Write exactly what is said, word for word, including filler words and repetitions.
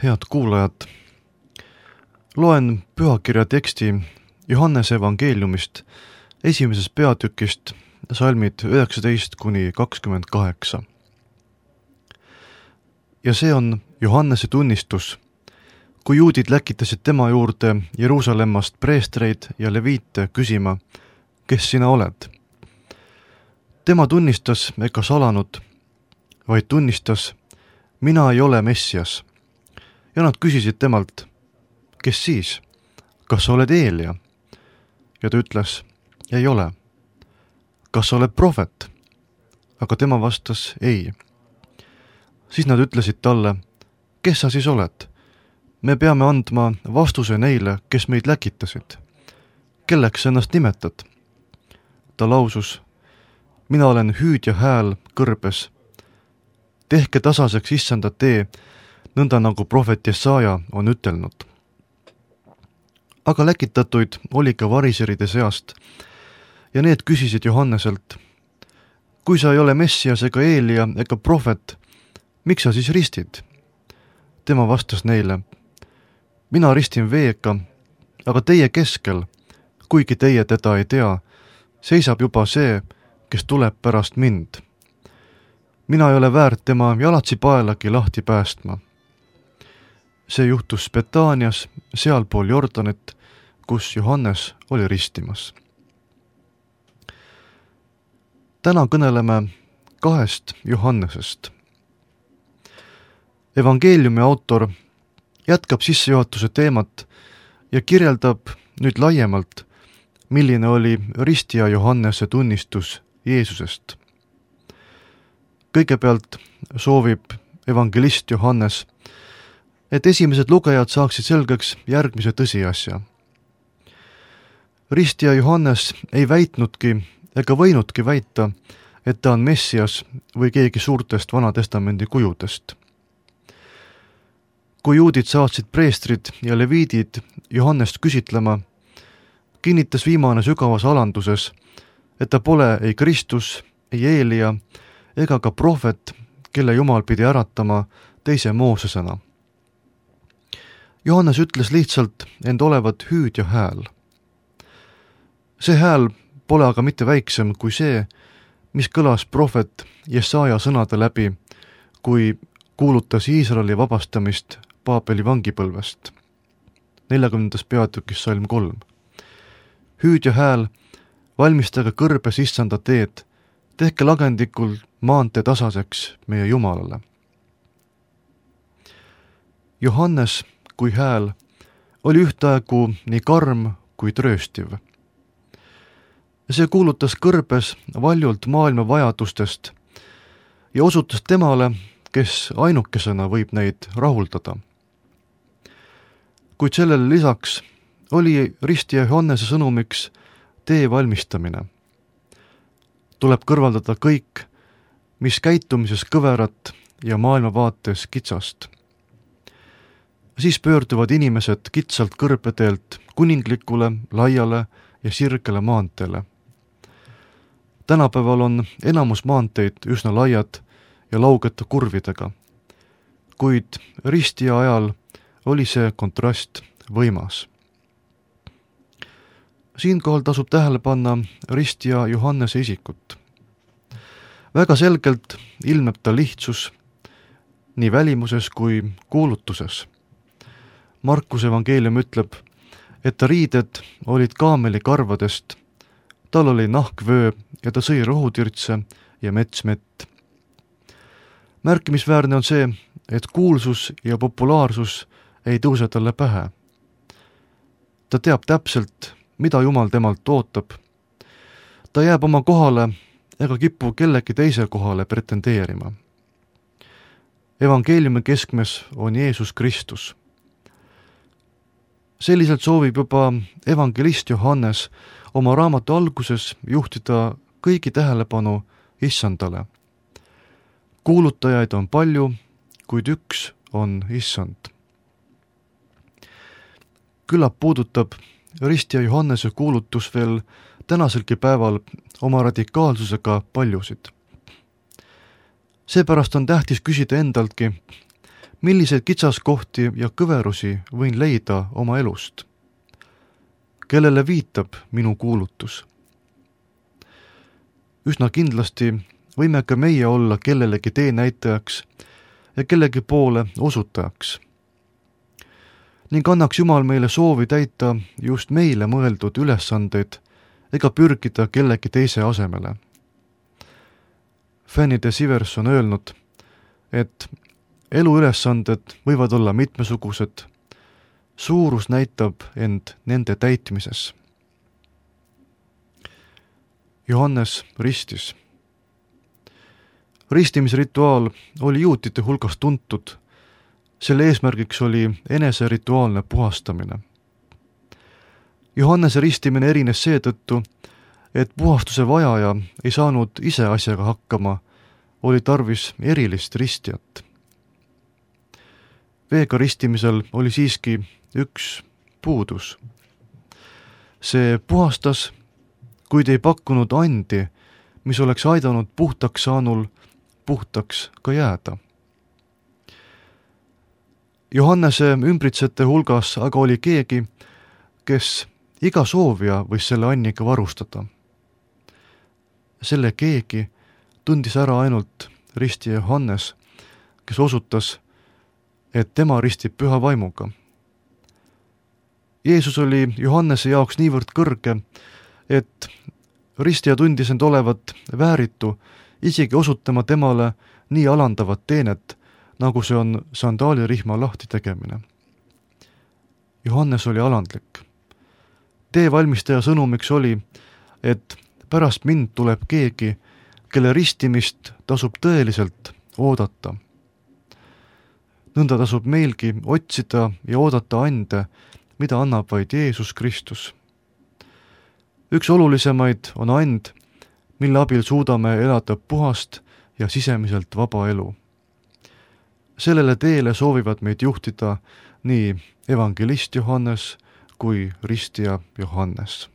Head kuulajad, loen pühakirja teksti Johannese evangeeliumist esimesest peatükist salmid üheksateist kuni kakskümmend kaheksa. Ja see on Johannese tunnistus, kui juudid läkitasid tema juurde Jeruusalemmast preestreid ja leviite küsima, kes sina oled. Tema tunnistas ega salanud, vaid tunnistas, mina ei ole Messias. Ja nad küsisid temalt, kes siis, kas sa oled Eelia? Ja ta ütles, ei ole. Kas sa oled prohvet? Aga tema vastas, ei. Siis nad ütlesid talle, kes sa siis oled? Me peame andma vastuse neile, kes meid läkitasid. Kelleks ennast nimetad? Ta lausus, mina olen hüüdja hääl kõrbes. Tehke tasaseks issanda tee, nõnda nagu prohvet Jesaja on ütelnud. Aga läkitatuid oli ka variseride seast ja need küsisid Johanneselt, kui sa ei ole Messias ega Eelia ega prohvet, miks sa siis ristid? Tema vastas neile, mina ristin veega, aga teie keskel, kuigi teie teda ei tea, seisab juba see, kes tuleb pärast mind. Mina ei ole väärt tema jalatsi paelagi lahti päästma. See juhtus Betaanias, sealpool Jordanit, kus Johannes oli ristimas. Täna kõneleme kahest Johannesest. Evangeeliumi autor jätkab sissejuhatuse teemat ja kirjeldab nüüd laiemalt, milline oli ristija Johannese tunnistus Jeesusest. Kõigepealt soovib evangelist Johannes, et esimesed lugejad saaksid selgeks järgmise tõsiasja. Ristija Johannes ei väitnudki ega võinudki väita, et ta on Messias või keegi suurtest Vanatestamendi kujudest. Kui juudid saatsid preestrid ja leviidid Johannest küsitlema, kinnitas viimane sügavas alanduses, et ta pole ei Kristus, ei Eelia ega ka prohvet, kelle Jumal pidi äratama teise Moosesena. Johannes ütles lihtsalt end olevat hüüdja hääl. See hääl pole aga mitte väiksem kui see, mis kõlas prohvet Jesaja sõnade läbi, kui kuulutas Iisraeli vabastamist Paabeli vangipõlvest. neljakümnendas peatükis salm kolm. Hüüdja hääl, valmistage kõrbes issanda teed, tehke lagendikul maantee tasaseks meie Jumalale. Johannes kui hääl oli ühtaegu nii karm kui trööstiv. See kuulutas kõrbes valjult maailma vajadustest ja osutas temale, kes ainukesena võib neid rahuldada. Kuid sellele lisaks oli ristija Johannese sõnumiks tee valmistamine. Tuleb kõrvaldada kõik, mis käitumises kõverat ja maailmavaates kitsast. Siis pöörduvad inimesed kitsalt kõrbeteelt kuninglikule, laiale ja sirgele maanteele. Tänapäeval on enamus maanteid üsna laiad ja laugete kurvidega, kuid ristija ajal oli see kontrast võimas. Siinkohal tasub tähele panna ristija Johannese isikut. Väga selgelt ilmneb ta lihtsus nii välimuses kui kuulutuses. Markuse evangeelium ütleb, et ta riided olid kaameli karvadest, tal oli nahkvöö ja ta sõi rohutirtse ja metsmett. Märkimisväärne on see, et kuulsus ja populaarsus ei tõuse talle pähe. Ta teab täpselt, mida Jumal temalt ootab. Ta jääb oma kohale ega kipu kellegi teise kohale pretendeerima. Evangeeliumi keskmes on Jeesus Kristus. Selliselt soovib juba evangelist Johannes oma raamatu alguses juhtida kõigi tähelepanu issandale. Kuulutajaid on palju, kuid üks on issand. Küllap puudutab ristija Johannese kuulutus veel tänaselgi päeval oma radikaalsusega paljusid. Seepärast on tähtis küsida endaltki, milliseid kitsaskohti ja kõverusi võin leida oma elust? Kellele viitab minu kuulutus? Üsna kindlasti võime ka meie olla kellelegi teenäitajaks ja kellegi poole osutajaks. Ning annaks Jumal meile soovi täita just meile mõeldud ülesandeid ega pürgida kellegi teise asemele. Fanny de Sivers on öelnud, et eluülesanded võivad olla mitmesugused, suurus näitab end nende täitmises. Johannes ristis. Ristimisrituaal oli juutide hulgas tuntud. Selle eesmärgiks oli enese rituaalne puhastamine. Johannese ristimine erines seetõttu, et puhastuse vajaja ei saanud ise asjaga hakkama, oli tarvis erilist ristjat. Veega ristimisel oli siiski üks puudus. See puhastas, kuid ei pakkunud andi, mis oleks aidanud puhtaks saanul puhtaks ka jääda. Johannese ümbritsete hulgas aga oli keegi, kes iga soovija võis selle anniga varustada. Selle keegi tundis ära ainult ristija Johannes, kes osutas, et tema ristib püha vaimuga. Jeesus oli Johannese jaoks niivõrd kõrge, et ristija tundis end olevat vääritu isegi osutama temale nii alandavat teenet, nagu see on sandaalirihma lahti tegemine. Johannes oli alandlik. Tee valmistaja sõnumiks oli, et pärast mind tuleb keegi, kelle ristimist tasub tõeliselt oodata. Nõnda tasub meilgi otsida ja oodata ande, mida annab vaid Jeesus Kristus. Üks olulisemaid on and, mille abil suudame elada puhast ja sisemiselt vaba elu. Sellele teele soovivad meid juhtida nii evangelist Johannes kui ristija Johannes.